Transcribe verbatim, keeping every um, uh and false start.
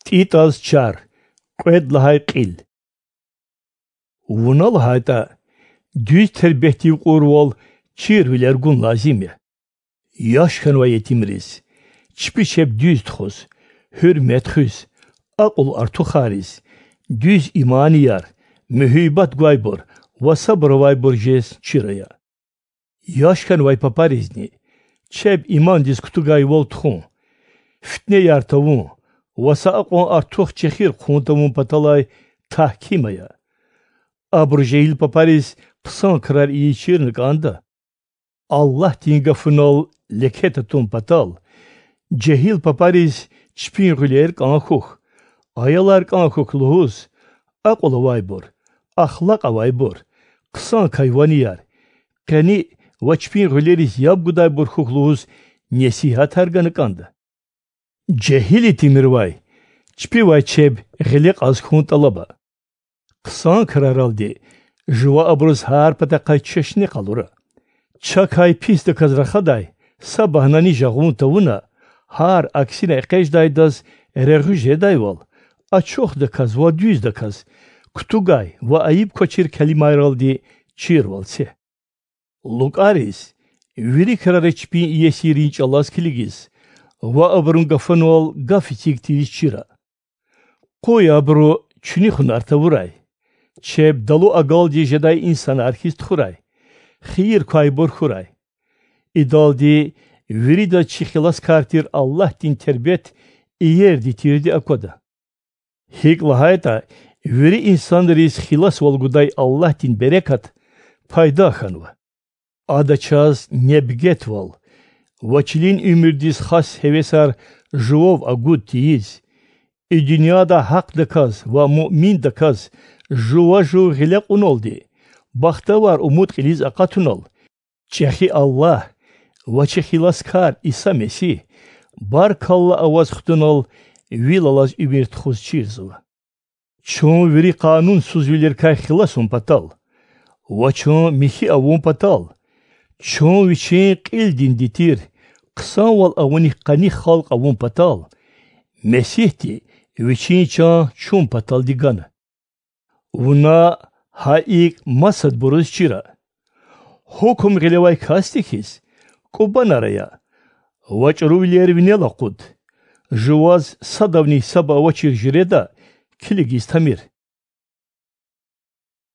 ТӀитӀаз чар. Кьвед лагьай кьил. Вуна лагьайтӀа, дуьз тербетдив кьурвал чирвилер гун лазим я. Яш хьанвай етимриз, чпи чеб дуьз тухуз, гьуьрмет хуьз, акьул артухариз, дуьз иманияр, муьгьуьббат гвайбур ва сабур авайбур жез чир ая. Яш хьанвай папаризни чеб имандиз кутугайвал тухун, фитнеяр тавун ва са акьван артух чехир хъун тавун паталай тагьким ая. Абуру жегьил папариз хъсан крар ийиз чирна кӀанда. Аллагьдин гафунал леке татун патал, жегьил папариз чпин гъуьлер кӀан хьухь, аялар кӀан хьухь лугьуз, акьул авайбур, ахлакь авайбур, хъсан кайванияр, къени ва чпин гъуьлериз яб гудайбур хьухь лугьуз несигьатар гана кӀанда. Жегьил итимривай чпивай чеб гъиле кьаз хьун тӀалаба. Хъсан краралди жува абуруз гьар патахъай чешне къалура. Чакай писдаказ рахадай са багьнани жагъун тавуна, гьар аксина экъечӀдайдаз регъуь жедайвал, ачухдаказ ва дуьздаказ, кутугай ва айиб квачир келимайралди чирвал це. ЛукӀариз вири крари чпин иесирин чӀалаз килигиз ва абурун гафунал гаф эциг тийиз чира. Къуй абуру чуьнуьхунар тавурай, чеб далу агалди жедай инсанар хьиз тухурай, хийир квайбур хьурай. Идалди виридаз чи хиласкар тир Аллагьдин тербет иерди-тирди аквада. ГьикӀ лагьайтӀа, вири инсанриз хиласвал гудай Аллагьдин берекат пайда хьанва. Ада чаз небгетвал ва чилин уьмуьрдиз хас гьевесар жував агуд тийиз, и дуьньяда гьахъдаказ ва муъминдаказ жува жув гъиле кьуналди, бахтавар умуд кьилиз акъатунал, чӀехи Аллагь ва чи хиласкар Иса Месигь баркалла аваз хтунал вил алаз уьмуьр тухуз чирзава. Чун вири къанунсузвилерикай хиласун патал ва чун михьи авун патал, чун вичин кьилдинди тир хъсанвал авуник къаник халкь авун патал, Месигьди вичин чан чун паталди гана. Вуна гьа икӀ масадбуруз чира. Гьукум гъилевай касди хьиз, кӀубанар ая ва чӀурувилер винел акъуд, жуваз садавни гьисаба авачир жуьреда килигиз тамир.